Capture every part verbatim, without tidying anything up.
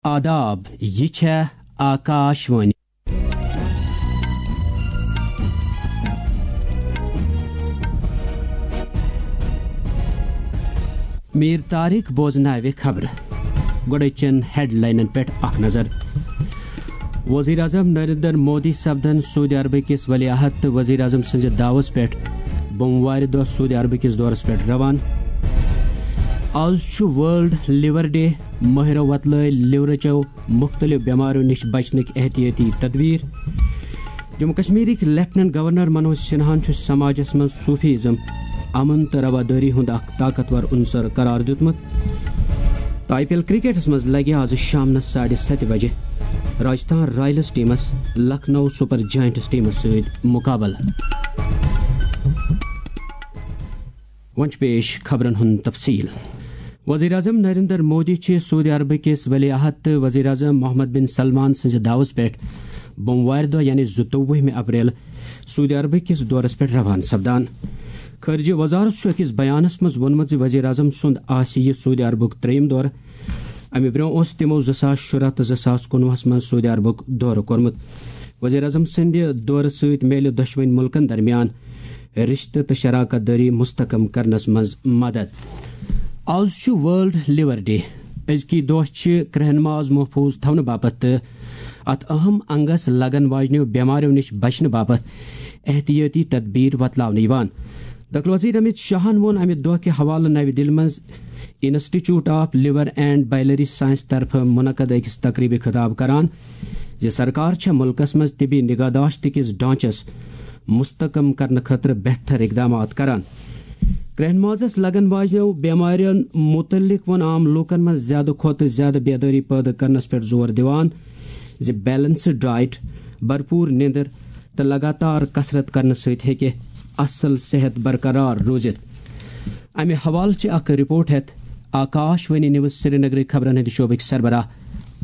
آداب، یہِ چھےٚ آکاش وانی۔ میر طارق بوزناوِ خبرٕ۔ گۄڈٕ چن ہیڈلاینن پٮ۪ٹھ اکھ نظر۔ وزیر اعظم نریندر مودی سپدن سعودی عربہٕ کِس ولی عہد تہٕ وزیر اعظم سٕنٛزِ دعوس پٮ۪ٹھ بوموارِ دۄہ سعودی عربہٕ کِس دورس پٮ۪ٹھ روان۔ آز چھُ ورلڈ لیور ڈے، مٲہرو وۄتلٲے لیورٕچو مُختٔلِف بٮ۪ماریو نِش بچنٕکۍ احتیٲطی تدبیٖر۔ جموں کشمیرٕکۍ لیفٹیننٹ گورنر منوج سنہاہن چھُ سماجس منٛز صوفی ازم، امن تہٕ روادٲری ہُنٛد اکھ طاقتور عنصر قرار دیُتمُت۔ تہٕ آئی پی ایل کرکٹس منٛز لگہِ آز شامنس ساڑِ ستہِ بجہِ راجستھان رائلز ٹیمس لکھنؤ سپر جائنٹس ٹیمس سۭتۍ مقابلہٕ۔ وۄنۍ چھُ پیش خبرن ہُنٛد تفصیل۔ وزیر اعظم نریندر مودی چھِ سعودی عربہٕ کِس ولی عہد تہٕ وزیر اعظم محمد بن سلمان سٕنٛزِ دعوس پٮ۪ٹھ بوموارِ دۄہ، یعنی زٕتووُہمہِ اپریل، سعودی عربہٕ کِس دورس پٮ۪ٹھ روانہٕ سپدان۔ خارجہ وزارت چھُ أکِس بیانس منٛز ووٚنمُت زِ وزیر اعظم سُنٛد آسہِ یہِ سعودی عربُک ترٛیٚیِم دورٕ۔ امہِ برٛونٛہہ اوس تِمو زٕ ساس شُراہ تہٕ زٕ ساس کُنوُہس منٛز سعودی عربُک دورٕ کوٚرمُت۔ وزیر اعظم سٕنٛدِ دورٕ سۭتۍ میلہِ دۄشوٕنۍ مُلکن درمیان رشتہٕ تہٕ شراکت دٲری مستحکم کرنس منٛز مدد۔ آز چھُ ورلڈ لیور ڈے۔ أزکی دۄہ چھِ کرٛہن ماز محفوظ تھاونہٕ باپتھ تہٕ اتھ اہم انگس لگن واجنیو بٮ۪ماریو نِش بچنہٕ باپتھ احتیاطی تدبیر وۄتلاونہٕ یِوان۔ داخلہ وزیر امت شاہن ووٚن امہِ دۄہ کہِ حوالہٕ نوِ دِلہِ منٛز institute of liver and biliary science طرفہٕ منعقد أکِس تقریبہِ خطاب کران زِ سرکار چھےٚ مُلکس منٛز طبی نگہداشت کِس ڈھانچس مستحکم کرنہٕ خٲطرٕ بہتر اقدامات کران۔ کرٛہن مازس لگن واجنیو بٮ۪مارٮ۪ن مُتعلق ووٚن عام لوٗکن منٛز زیادٕ کھۄتہٕ زیادٕ بیدٲری پٲدٕ کرنس پٮ۪ٹھ زور دِوان زِ بیلنسڈ ڈائٹ، بھرپور نیندر تہٕ لگاتار کثرت کرنہٕ سۭتۍ ہیٚکہِ اصل صحت برقرار روٗزِتھ۔ امہِ حوالہٕ چھِ اکھ رپورٹ ہٮ۪تھ آکاش وانی نیوز سرینگرٕکۍ خبرن ہٕنٛدِ شعبٕکۍ سربراہ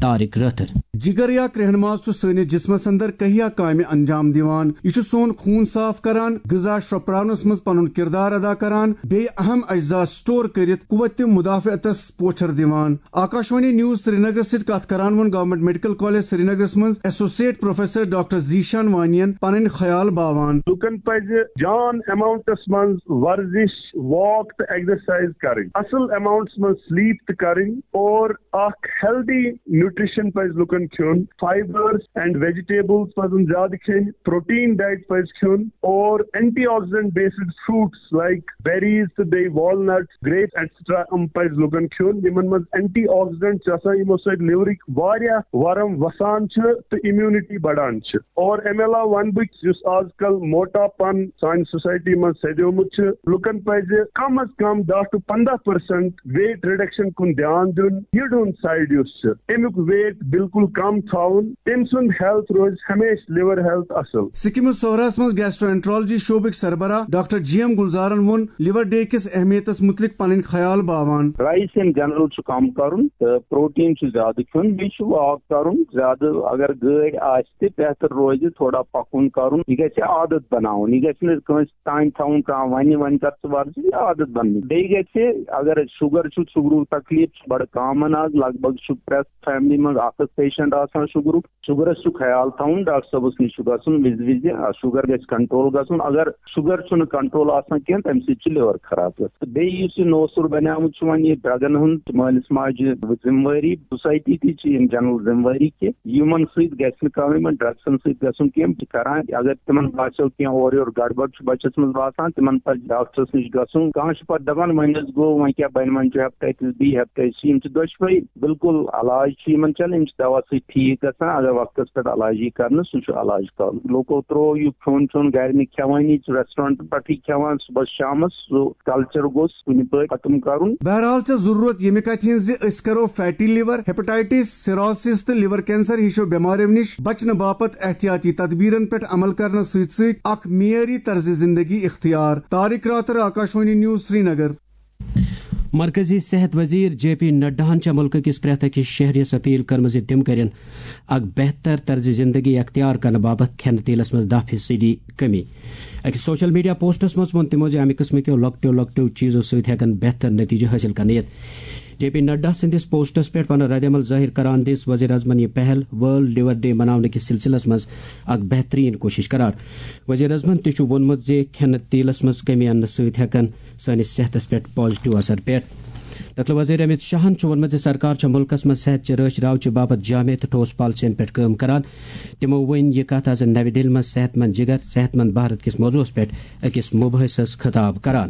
طارق رٲتھر۔ جگر یا کرٛہن ماز چھُ سٲنِس جسمس اندر کہیا کامہِ انجام دِوان۔ یہِ چھُ سون خوٗن صاف کران، غذا شرٛپراونس منٛز پنُن کردار ادا کران، بیٚیہِ اہم اجزا سٹور کٔرِتھ قوت مدافعتس پوچھر دِوان۔ آکاشوانی نیوز سرینگرس سۭتۍ کتھ کران ووٚن گورنمنٹ میڈیکل کالج سرینگرس منٛز ایسوسیٹ پروفیسر ڈاکٹر زیشان وانین پنٕنۍ خیال باوان۔ لوٗکن پزِ جان اماؤنٹس منٛز ورزش، واک تہٕ ایگزرسائز کرٕنۍ، اصل اماؤنٹس منٛز سلیپ تہِ کرٕنۍ اور اکھ ہیلدی نیوٹریشن پزِ لوٗکن کھیوٚن۔ فائبرز اینڈ ویجیٹیبلز پزن زیادٕ کھیٚنۍ، پروٹین ڈائٹ پزِ کھیوٚن اور antioxidant based fruits like berries تہٕ بیٚیہِ والنٹس، گریپس ایٹسٹرا، یِم پزِ لوٗکن کھیوٚن۔ یِمن منٛز اینٹی آکسیڈنٹ چھِ آسان، یِمو سۭتۍ لِورٕکۍ واریاہ ورم وسان چھِ تہٕ امیونٹی بڑان چھِ۔ اور امہِ علاوٕ ونہٕ بہٕ یُس آز کل موٹاپن سانہِ سوسائٹی منٛز سیدیومُت چھُ، لوٗکن پزِ کم از کم دَہ to پنٛداہ percent weight reduction کُن دھیان دیُن۔ یٔڈ ہُنٛد سائیڈ یُس چھُ، امیُک weight بالکل کم تھاوُن، تٔمۍ سُنٛد ہیلتھ روزِ ہمیشہٕ، لیور ہیلتھ اصل۔ سکمٕز سوہراہس منٛز گیسٹرو انٹرالجی شعبٕکۍ سربراہ ڈاکٹر جی ایم گلزارن ووٚن لیور ڈے کِس اہمیتس مُتعلق پنٕنۍ خیال باوان۔ رائس ان جنرل چھُ کم کرُن تہٕ پروٹین چھُ زیادٕ کھیوٚن، بیٚیہِ چھُ واک کرُن زیادٕ۔ اگر گٲڑۍ آسہِ تہِ بہتر روزِ تھوڑا پکُن کرُن، یہِ گژھِ عادت بناوُن، یہِ گژھِ نہٕ کٲنٛسہِ تام تھاوُن کانٛہہ ونہِ وۄنۍ کر ژٕ ورزش، یہِ عادت بننٕچ۔ بیٚیہِ گژھِ، اگر شُگر چھُ، شُگرُک تکلیف چھُ بڑٕ کامن آز، لگ بھگ چھُ پرٛٮ۪تھ فیملی منٛز اکھ اکھ پیشنٹ آسان شُگرُک۔ شُگرس چھُ خیال تھاوُن، ڈاکٹر صٲبس نِش چھُ گژھُن وِزِ وِزِ، آ، شُگر گژھِ کنٹرول گژھُن۔ اگر شُگر چھُنہٕ کنٹرول آسان کینٛہہ، تمہِ سۭتۍ چھُ لیور خراب گژھان۔ تہٕ بیٚیہِ یُس یہِ نوسُر بنیومُت چھُ وۄنۍ یہِ ڈرگن ہُنٛد، مٲلِس ماجہِ ذمہٕ وٲری، سوسائٹی تہِ چھِ یِم جنرل ذمہٕ وٲری کہِ یِمن سۭتۍ گژھِ نہٕ کانٛہہ، یِمن ڈرگسن سۭتۍ گژھُن کینٛہہ، تہِ کران۔ اگر تِمن باسیو کینٛہہ اورٕ یورٕ گڑبڑ چھُ بچس منٛز باسان، تِمن پزِ ڈاکٹرس نِش گژھُن۔ کانٛہہ چھُ پتہٕ دپان، وۄنۍ حظ گوٚو، وۄنۍ کیٛاہ بنہِ، وۄنۍ چھُ ہیپٹائٹس بی، ہیپٹائٹس سی، یِم چھِ دۄشوے بالکل علاج چھُ یِمن چلان، یِم چھِ دوا سۭتۍ ٹھیٖک گژھان۔ اگر وقتس پٮ۪ٹھ علاج یی کرنہٕ، سُہ چھُ علاج کرُن۔ لوٗکو ترٛوو یہِ کھیوٚن چیوٚن گرِ نہٕ کھٮ۪وٲنی، ریسٹورنٹ پٮ۪ٹھٕے کھٮ۪وان صبحس شامس، سُہ کلچر گوٚژھ کُنہِ پٲٹھۍ ختم کرُن۔ بہرحال چھےٚ ضروٗرت ییٚمہِ کتھِ ہٕنٛز زِ أسۍ کرو فیٹی لیور، ہیپاٹائٹس، سیروسس تہٕ لیور کینسر ہِشو بٮ۪ماریو نِش بچنہٕ باپتھ احتیاطی تدبیرن پٮ۪ٹھ عمل کرنس سۭتۍ سۭتۍ اکھ معیٲری طرز زندگی اختیار۔ طارق راتھر، آکاشوانی نیوز، سرینگر۔ مرکزی صحت وزیر جے پی نڈاہن چھےٚ ملکہٕ کِس پرٛٮ۪تھ أکِس شہریَس اپیل کٔرمٕژ زِ تِم کٔرِن اکھ بہتر طرز زندگی اختیار کرنہٕ باپتھ کھٮ۪نہٕ تیلس منٛز دَہ فیصدی کمی۔ أکِس سوشل میڈیا پوسٹس منٛز ووٚن تِمو زِ امہِ قٕسمہٕ کیو لۄکٹیو لۄکٹیو چیزو سۭتۍ ہٮ۪کن بہتر نتیجہٕ حٲصِل کرنہٕ یِتھ۔ جے پی نڈا سٕنٛدِس پوسٹس پٮ۪ٹھ پنُن ردعمل ظٲہِر کران دِژ وزیر اعظمن یہِ پہل ورلڈ لیور ڈے مناونہٕ کِس سلسلس منٛز اکھ بہترین کوٗشش قرار۔ وزیر اعظمن تہِ چھُ ووٚنمُت زِ کھٮ۪نہٕ تیلس منٛز کمی اننہٕ سۭتۍ ہٮ۪کن سٲنِس صحتس پٮ۪ٹھ پازیٹیو اثر پٮ۪تھ۔ دٲخلہٕ وزیر امیت شاہن چھُ ووٚنمُت زِ سرکار چھےٚ مُلکس منٛز صحت چہِ رٲچھ راوچہِ باپتھ جامع تہٕ ٹھوس پالیسین پٮ۪ٹھ کٲم کران۔ تِمو ؤنۍ یہِ کتھ از نوِ دِلہِ منٛز صحت مند جگر، صحت مند بھارت کِس موضوعس پٮ۪ٹھ أکِس مُباحثس خطاب کران۔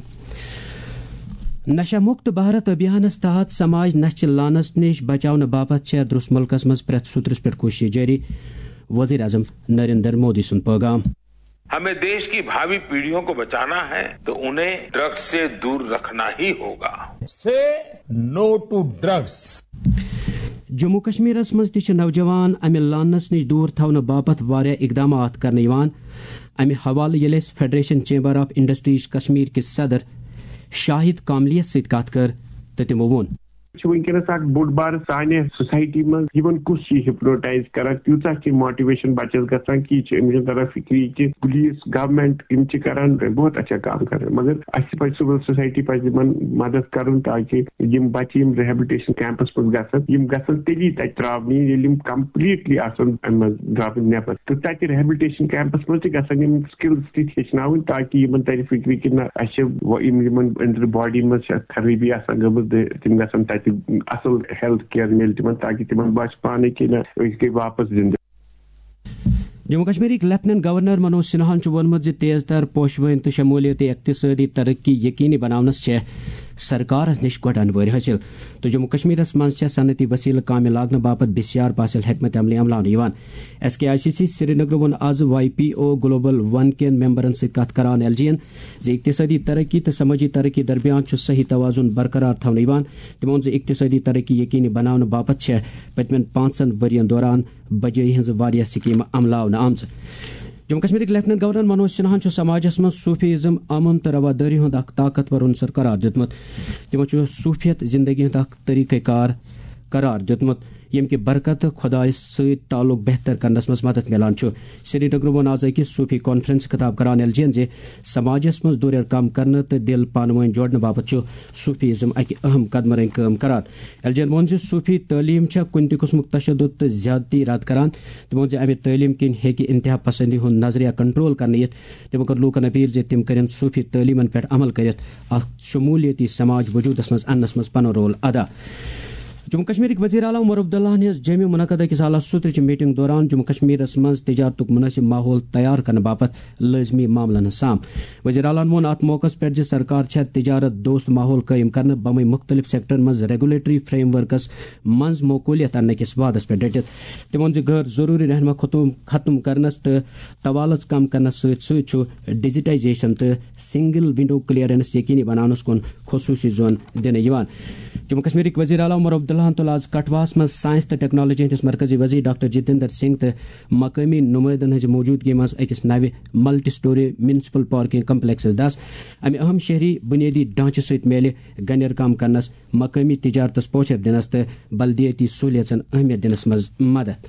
نشہ مکت بھارت ابھیانس تحت سماج نشہ چہِ لعنتس نِش بچاونہٕ باپتھ چھےٚ درس مُلکس منٛز پرٛٮ۪تھ سوٚترس پٮ۪ٹھ کوٗشش جٲری، وزیر اعظم نریندر مودی سُنٛد پیغام۔ हमें देश की भावी पीढ़ियों को बचाना है तो उन्हें ड्रग्स से दूर रखना ही होगा। Say no to drugs. Jammu کشمیرس منٛز تہِ چھِ نوجوان امہِ لعنتس نِش دوٗر تھاونہٕ باپتھ واریاہ اقدامات کرنہٕ یِوان۔ امہِ حوالہٕ ییٚلہِ اَسہِ federation chamber of industries Kashmir کِس صدر شاہد کاملیس سۭتۍ کتھ کٔر تہٕ تِمو ووٚن۔ چھُ وٕنکیٚنَس اکھ بوٚڑ بار سانہِ سوسایٹی منٛز یِمن کُس چھُ ہپنوٹائز کران، تیٖژاہ چھِ موٹیویشن بچس گژھان کہِ یہِ چھِ أمِس چھُنہٕ تران فکری کہِ پولیس، گورنمنٹ، یِم چھِ کران بہت اچھا کام کران، مگر اَسہِ پزِ سول سوسایٹی پزِ یِمن مدد کرُن تاکہِ یِم بچہِ یِم ریہیبلٹیشن کیمپس منٛز گژھن، یِم گژھن تیٚلی تتہِ تراونہٕ یِنۍ ییٚلہِ یِم کمپلیٹلی آسن امہِ منٛز درامٕتۍ نٮ۪بر۔ تہٕ تتہِ ریہیبلٹیشن کیمپس منٛز تہِ گژھن یِم سکلز تہِ ہیٚچھناوٕنۍ تاکہِ یِمن ترِ فکرِ کہِ نہ، اسہِ چھِ و-، یِم یِمن أنٛدرٕ باڈی منٛز چھِ خرٲبی آسان گٔمٕژ، تہٕ تِم گژھن تتہِ اصل ہیلتھ کیئر میلہِ تِمن تاکہِ تِمن باسہِ پانے کہِ نہ، أسۍ گٔے واپس زندٕ۔ جموں کشمیرٕکۍ لیفٹیننٹ گورنر منوج سنہاہن چھُ ووٚنمُت زِ تیز تر پوشوٕنۍ تہٕ شمولیتی اقتصٲدی ترقی یقینی بناونس چھےٚ سرکارس نِش گۄڈٕ انوٲرۍ حٲصِل تہٕ جموں کشمیرس منٛز چھےٚ صنعتی وسیلہٕ کامہِ لاگنہٕ باپتھ بسیار پاسل حکمت عملی عملاونہٕ یِوان۔ S K I C C Srinagar ووٚن آز Y P O global one کٮ۪ن ممبرن سۭتۍ کتھ کران ایل جی ین زِ اقتصٲدی ترقی تہٕ سمٲجی ترقی درمیان چھُ صحیح توازن برقرار تھاونہٕ یِوان۔ تِمو ووٚن زِ اقتصٲدی ترقی یقینی بناونہٕ باپتھ چھےٚ پٔتمٮ۪ن پانٛژن ؤرین دوران بجٲیی ہٕنٛز واریاہ سکیمہٕ عملاونہٕ آمژٕ۔ جموں کشمیرٕکۍ لیفٹیننٹ گورنر منوج سنہاہن چھُ سماجس منٛز صوفیزم امن تہٕ روادٲری ہُنٛد اکھ طاقتور عنصر قرار دیُتمُت۔ تِمو چھُ صوفیت زندگی ہُنٛد اکھ طریقہ کار قرار دیُتمُت، ییٚمہِ کہِ برکتہٕ خۄدایس سۭتۍ تعلق بہتر کرنس منٛز مدد میلان چھُ۔ سرینگرٕ ووٚن آز أکِس صوفی کانفرنس خطاب کران ایل جی ین زِ سماجس منٛز دوٗریر کم کرنہٕ تہٕ دِل پانہٕ وٲنۍ جوڑنہٕ باپتھ چھُ صوفیزم اکہِ اہم قدمہٕ رنگۍ کٲم کران۔ ایل جی ین ووٚن زِ صوفی تعلیٖم چھےٚ کُنہِ تہِ قٕسمُک تشدد تہٕ زیادتی رد کران۔ تٔمۍ ووٚن زِ امہِ تعلیٖم کِنۍ ہیٚکہِ انتہا پسندی ہُنٛد نظریہ کنٹرول کرنہٕ یِتھ۔ تٔمۍ کٔر لوٗکن اپیل زِ تِم کٔرِن صوفی تعلیٖمن پٮ۪ٹھ عمل کٔرِتھ اکھ شمولیتی سماج وجودس منٛز اننس منٛز پنُن رول ادا۔ جموں کشمیرٕکۍ وزیر اعلیٰ عمر عبداللہن ہیٚژ جوٚمہِ منعقدٕ أکِس اعلیٰ سوترٕچہِ میٹنگ دوران جموں کشمیرس منٛز تجارتُک مناسب ماحول تیار کرنہٕ باپتھ لٲزمی معاملن ہٕنٛز سام۔ وزیر اعلیٰ ووٚن اتھ موقعس پٮ۪ٹھ زِ سرکار چھےٚ تجارت دوست ماحول قٲیِم کرنہٕ بمے مختلف سیکٹرن منٛز ریگولیٹری فریم ورکس منٛز معقولیت اننہٕ کِس وعدس پٮ۪ٹھ ڈٔٹِتھ۔ تٔمۍ ووٚن زِ غٲر ضروٗری رہنما خطوٗم ختم کرنس تہٕ توالژ کم کرنس سۭتۍ سۭتۍ چھُ ڈیجیٹائزیشن تہٕ سنگل ونڈو کلیئرنس یقینی بناونس کُن خصوصی زون دِنہٕ یِوان۔ جموں کشمیرٕکۍ وزیر اعلیٰ عمر عبداللہن تُل آز کٹھواہس منٛز سائنس تہٕ ٹیکنالوجی ہٕنٛدِس مرکزی وزیر ڈاکٹر جتیندر سنگھ تہٕ مقٲمی نمٲیندن ہٕنٛزِ موجودگی منٛز أکِس نوِ multi story municipal parking complexes دس۔ امہِ اہم شہری بنیٲدی ڈھانچہٕ سۭتۍ میلہِ گنیر کم کرنس، مقٲمی تجارتس پوچھر دِنس تہٕ بلدیٲتی سہولیژن اہمیت دِنس منٛز مدد۔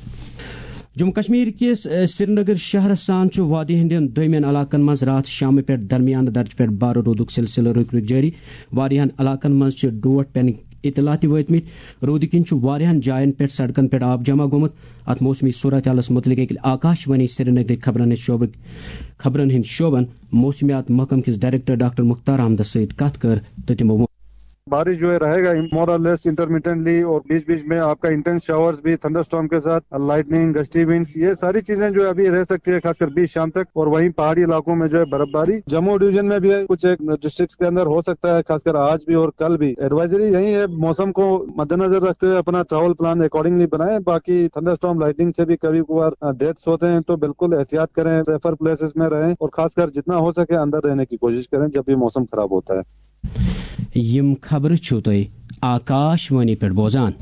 جموں کشمیر کِس، ا، سرینگر شہرس سان چھُ وادی ہٕنٛدٮ۪ن دوٚیمٮ۪ن علاقن منٛز راتھ شامہٕ پٮ۪ٹھ درمیانہٕ درجہٕ پٮ۪ٹھ بارٕ روٗدُک سلسلہٕ رُکۍ رُکۍ جٲری۔ واریاہن علاقن منٛز چھِ ڈوٹھ پٮ۪نٕکۍ اطلاع تہِ وٲتمٕتۍ۔ روٗدٕ کِنۍ چھُ واریاہن جاین پٮ۪ٹھ سڑکن پٮ۪ٹھ آب جمع گوٚمُت۔ اتھ موسمی صورتحالس مُتعلق ییٚلہِ آکاش وانی سرینگرٕکۍ خبرن ہٕنٛدۍ شعبٕکۍ، خبرن ہٕنٛدۍ شعبن موسمیات محکمہٕ کِس ڈائریکٹر ڈاکٹر مختار احمدس سۭتۍ کتھ کٔر تہٕ تِمو ووٚن۔ بارش جو ہے رہے گا more or less intermittently اور بیچ بیچ میں آپ کا انٹینس شاورز بھی، تھنڈر اسٹارم کے ساتھ، لائٹننگ، گسٹی ونڈز، یہ ساری چیزیں جو ہے ابھی رہ سکتی ہے، خاص کر بیچ شام تک۔ اور وہیں پہاڑی علاقوں میں جو ہے برف باری۔ جموں ڈویژن میں بھی ہے، کچھ ایک ڈسٹرکٹس کے اندر ہو سکتا ہے، خاص کر آج بھی اور کل بھی۔ ایڈوائزری یہی ہے، موسم کو مد نظر رکھتے ہوئے اپنا ٹریول پلان اکارڈنگلی بنائیں۔ باقی تھنڈر اسٹارم لائٹننگ سے بھی کبھی کبھار ڈیتھس ہوتے ہیں، تو بالکل احتیاط کریں، سیفر پلیسز میں رہیں اور خاص کر جتنا ہو سکے اندر رہنے کی کوشش کریں جب بھی موسم خراب ہوتا ہے۔ یِم خبرٕ چھِو تُہۍ آکاش وانی پٮ۪ٹھ بوزان۔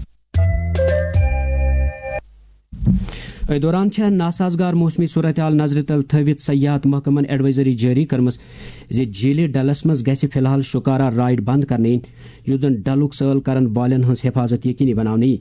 أتھۍ دوران چھےٚ ناسازگار موسمی صورتحال نظرِ تل تھٲوِتھ سیاحت محکمن ایڈوائزری جٲری کٔرمٕژ زِ جھیلہِ ڈلس منٛز گژھِ فی الحال شکارا رائیڈ بند کرنہٕ یِنۍ، یُتھ زن ڈلُک سٲل کرن والٮ۪ن ہٕنٛز حفاظت یقینی بناونہٕ یِیہِ۔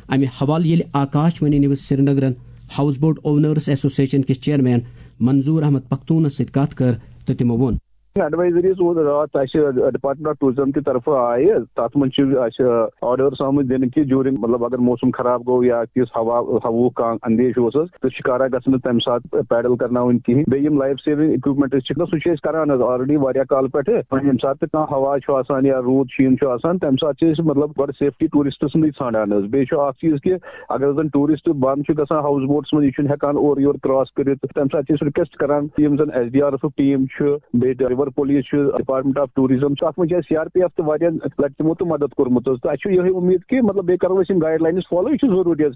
امہِ حوالہٕ ییٚلہِ آکاش وانی نیوز سرینگرن ہاؤس بوٹ اونرز ایسوسیشن کِس چیئرمین منظور احمد پختونس سۭتۍ کتھ کٔر تہٕ تِمو ووٚن۔ ایڈوائزریز اوس راتھ اَسہِ ڈپارٹمنٹ آف ٹوریزم کہِ طرفہٕ آیہِ، تَتھ منٛز چھِ اَسہِ آرڈرس آمٕتۍ دِنہٕ کہِ ڈیورنگ، مطلب، اگر موسم خراب گوٚو یا تِژھ ہوا، ہواہُک کانٛہہ اندیش اوس حظ، تہٕ شِکارا گژھِ نہٕ تَمہِ ساتہٕ پیڈل کرناوٕنۍ کِہیٖنۍ۔ بیٚیہِ یِم لایف سیونگ اکوپمنٹس چھِ، سُہ چھِ أسۍ کران حظ آلریڈی واریاہ کالہٕ پٮ۪ٹھٕ۔ وۄنۍ ییٚمہِ ساتہٕ تہِ کانٛہہ ہوا چھُ آسان یا روٗد شیٖن چھُ آسان، تَمہِ ساتہٕ چھِ أسۍ، مطلب، گۄڈٕ سیفٹی ٹوٗرسٹ سٕنٛدٕے ژھانڈان حظ۔ بیٚیہِ چھُ اکھ چیٖز کہِ اگر زَن ٹوٗرسٹ بنٛد چھُ گژھان ہاوُس بوٹس منٛز، یہِ چھُنہٕ ہٮ۪کان اورٕ یورٕ کراس کٔرِتھ، تَمہِ ساتہٕ چھِ أسۍ رِکویسٹ کران، یِم زَن S D R F team چھُ، بیٚیہِ رِور پولیس چھُ، ڈپارٹمنٹ آف ٹوریزم چھُ، اَتھ منٛز چھِ اَسہِ سی آر پی ایف تہٕ واریاہ لَٹہِ تِمو تہٕ مدد کوٚرمُت حظ۔ تہٕ اَسہِ چھُ یِہوٚے اُمید کہِ، مطلب، بیٚیہِ کَرو أسۍ یِم گایڈ لاینٕز فالو، یہِ چھُ ضروٗری حظ۔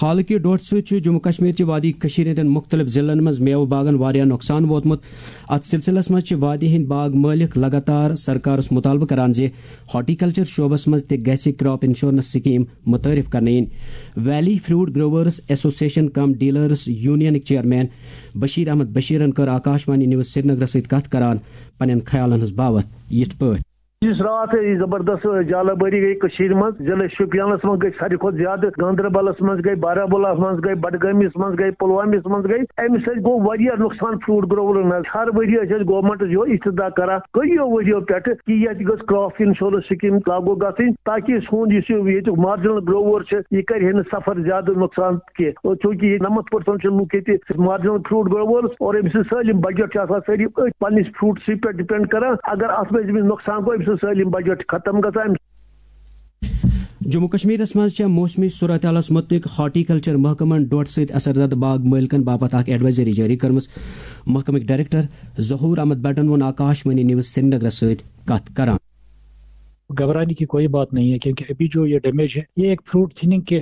حالہٕ کہِ ڈوٹھ سۭتۍ چھُ جموں کشمیر چہِ وادی کٔشیٖر ہٕنٛدٮ۪ن مُختٔلِف ضلعن منٛز میوٕ باغن واریاہ نۄقصان ووتمُت۔ اَتھ سلسلس منٛز چھِ وادی ہٕنٛدۍ باغ مٲلِک لگاتار سرکارس مُطالبہٕ کران زِ ہارٹیکلچر شعبس منٛز تہِ گژھِ کراپ انشورنس سکیٖم متعارف کرنہٕ یِنۍ۔ ویلی فروٹ گروورز ایسوسیشن کم ڈیلرز یونینٕکۍ چیئرمین بشیر احمد بشیرن کٔر آکاشوانی نیوز سرینگرس سۭتۍ کتھ کران پننٮ۪ن خیالن ہٕنٛز باوتھ یِتھ پٲٹھۍ۔ یُس راتھ یہِ زبردست جالہ بٲری گٔے کٔشیٖرِ منٛز، ضلع شوپیانس منٛز گٔے ساروی کھۄتہٕ زیادٕ، گاندربلس منٛز گٔے، بارہمولہس منٛز گٔے، بڈگٲمِس منٛز گٔے، پلوٲمِس منٛز گٔے۔ امہِ سۭتۍ گوٚو واریاہ نۄقصان فروٹ گروورن حظ۔ ہر ؤرۍ یہِ ٲسۍ أسۍ گورمنٹس یِہوٚے استدعا کران، کٔرِو ؤرۍ یو پٮ۪ٹھٕ کہِ ییٚتہِ گٔژھ کراپ انشورنس سکیٖم لاگو گژھٕنۍ، تاکہِ سون یُس یہِ ییٚتیُک مارجنل گروور چھُ، یہِ کرِ ہے نہٕ سفر زیادٕ نۄقصان کینٛہہ۔ اور چونکہ ییٚتہِ نمتھ پرسنٹ چھِ لُکھ ییٚتہِ مارجنل فروٹ گروورز، اور أمۍ سٕنٛز سٲلِم بجٹ چھِ آسان سٲری أتھۍ پننِس فروٹسٕے پٮ۪ٹھ ڈپینڈ کران۔ اگر اتھ منٛز أمِس نۄقصان گوٚو، أمۍ سٕنٛز سٲلِم بجٹ ختم گژھان۔ جموں کشمیرس منٛز چھےٚ موسمی صورتحالس متعلق ہارٹیکلچر محکمن ڈوٹھ سۭتۍ اثر زدٕ باغ مٲلکن باپتھ اکھ ایڈوائزری جٲری کٔرمٕژ۔ محکمٕکۍ ڈائریکٹر ظہور احمد بٹن ووٚن آکاشوانی نیوز سرینگرس سۭتۍ کتھ کران۔ گھبرانے کی کوئی بات نہیں ہے، کیونکہ ابھی جو یہ ڈیمیج ہے، یہ ایک فروٹ تھننگ کے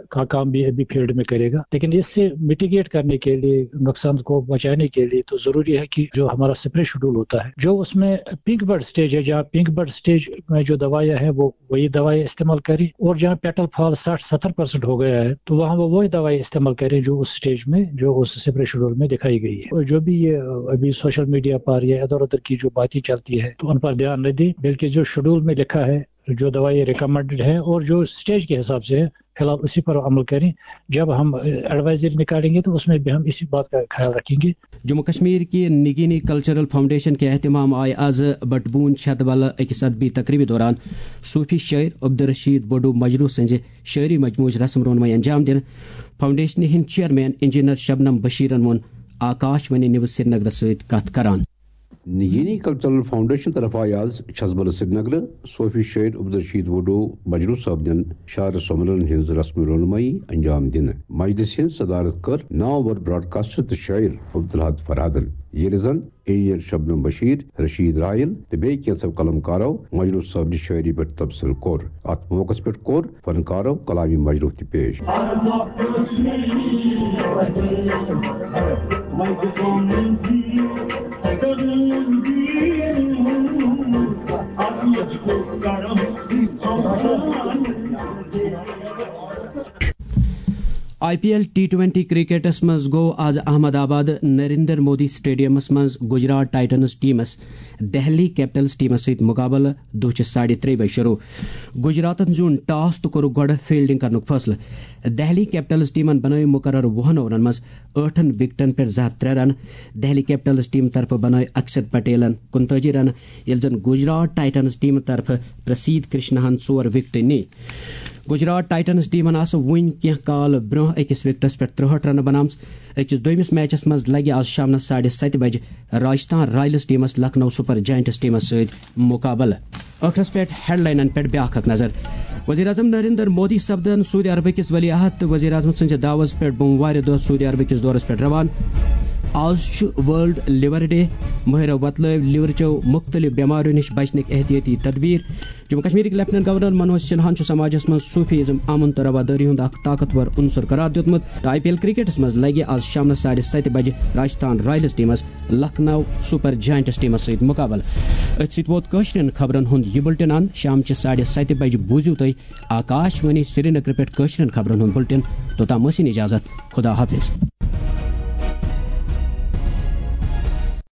کا کام بھی ابھی فیلڈ میں کرے گا، لیکن اس سے مٹیگیٹ کرنے کے لیے، نقصان کو بچانے کے لیے تو ضروری ہے کہ جو ہمارا سپرے شیڈول ہوتا ہے، جو اس میں پنک بڈ سٹیج ہے، جہاں پنک بڈ سٹیج میں جو دوائیاں ہیں، وہ وہی دوائیں استعمال کریں، اور جہاں پیٹل فال ساٹھ ستر پرسنٹ ہو گیا ہے، تو وہاں وہ وہی دوائیں استعمال کریں جو اس سٹیج میں، جو اس سپرے شیڈول میں دکھائی گئی ہے۔ اور جو بھی یہ ابھی سوشل میڈیا پر یا ادھر ادھر کی جو باتیں چلتی ہے، تو ان پر دھیان نہ دیں، بلکہ جو شیڈول میں لکھا ہے، جو دوائیں ریکمینڈڈ ہے اور جو سٹیج کے حساب سے ہے، فی الحال اسی پر عمل کریں۔ جب ہم ایڈوائزری نکالیں گے تو اس میں بھی ہم اسی بات کا خیال رکھیں گے۔ جموں کشمیر کے نگینی کلچرل فاؤنڈیشن کے اہتمام آئے آز بٹبون چھت بل اکس ادبی تقریبی دوران صوفی شاعر عبدالرشید بڈو مجروح سنزِ شاعری مجموعچ رسم رونمائی انجام دن۔ فاؤنڈیشن ہند چیئرمین انجینئر شبنم بشیرن وون آکاش وانی نیوز سرینگرس سۭتۍ کتھ کران۔ نگینی کلچرل فاؤنڈیشن طرف آئے آز چھزبل سرینگر صوفی شاعر عبدالرشید وڈو مجروح صاحب دین شاعر سومرن ہنز رسم رونمائی انجام دن۔ مجلس ہنز صدارت کر نامور براڈکاسٹر تہٕ شاعر عبدالحد فرحادن، ییٚلہِ زن انجینئر شبنم بشیر، رشید رائل تہٕ بیٚیہِ کینٛژھو قلمکارو مجروح صٲبنہِ شٲعری پٮ۪ٹھ تبصرٕ کوٚر۔ اتھ موقعس پٮ۪ٹھ کوٚر فنکارو کلامی مجروح تہِ پیش۔ I P L T twenty کرکٹس منٛز گوٚو آز احمد آباد نریندر مودی سٹیڈیمس منٛز گجرات ٹائٹنز ٹیمس دہلی کیپٹلز ٹیمس سۭتۍ مقابلہٕ۔ دۄہ چھِ ساڑِ ترٛےٚ بجہِ شروع۔ گجراتن زیوٗن ٹاس تہٕ کوٚرُکھ گۄڈٕ فیلڈنگ کرنُک فٲصلہٕ۔ دہلی کیپٹلز ٹیمن بنٲوۍ مقرر وُہن اوورن منٛز ٲٹھن وکٹن پٮ۪ٹھ زٕ ہتھ ترٛےٚ رن۔ دہلی کیپٹلز ٹیم طرفہٕ بنٲوۍ اکشت پٹیلن کُنتٲجی رن، ییٚلہِ زن گجرات ٹائٹنز ٹیمہٕ طرفہٕ پرسید کرشناہن ژور وکٹہٕ نی۔ گجرات ٹائٹنز ٹیمن آسہٕ وُنہِ کینٛہہ کال برونٛہہ أکِس وکٹس پٮ۪ٹھ ترٛہٲٹھ رنہٕ بناومژٕ۔ أکِس دوٚیمِس میچس منٛز لگہِ آز شامنس ساڑِ ستہِ بجہِ راجستھان رائلز ٹیمس لکھنؤ سپر جائنٹس ٹیمس سۭتۍ مقابلہٕ۔ ٲخرس پٮ۪ٹھ ہیڈلاینن پٮ۪ٹھ بیاکھ اکھ نظر۔ وزیر اعظم نریندر مودی سپدن سعودی عربہٕ کِس ولی عہد تہٕ وزیر اعظم سٕنٛزِ دعوژ پٮ۪ٹھ بوموارِ دۄہ سعودی عربہٕ کِس دورس پٮ۪ٹھ روان۔ آز چھُ ورلڈ لیور ڈے، مٲہرو وتلٲوۍ لیورچو مُختٔلِف بٮ۪ماریو نِش بچنٕکۍ احتیٲطی تدبیر۔ جموں کشمیرٕکۍ لیفٹیننٹ گورنر منوج سنہاہن چھُ سماجس منٛز صوفی ازم، امن تہٕ روادٲری ہُنٛد اکھ طاقتور عنصر قرار دیُتمُت۔ تہٕ آئی پی ایل کرکٹس منٛز لگہِ آز شامنس ساڑِ ستہِ بجہِ راجستھان رائلز ٹیمس لکھنؤ سپر جائنٹس ٹیمس سۭتۍ مقابلہٕ۔ أتھۍ سۭتۍ ووت کٲشرٮ۪ن خبرن ہُنٛد یہِ بُلٹن اند۔ شام چہِ ساڑِ ستہِ بجہِ بوٗزِو تُہۍ آکاش وانی سرینگر پٮ۪ٹھ کٲشرٮ۪ن خبرن ہُنٛد بُلٹن۔ توٚتام ٲسِن اجازت۔ خدا حافظ۔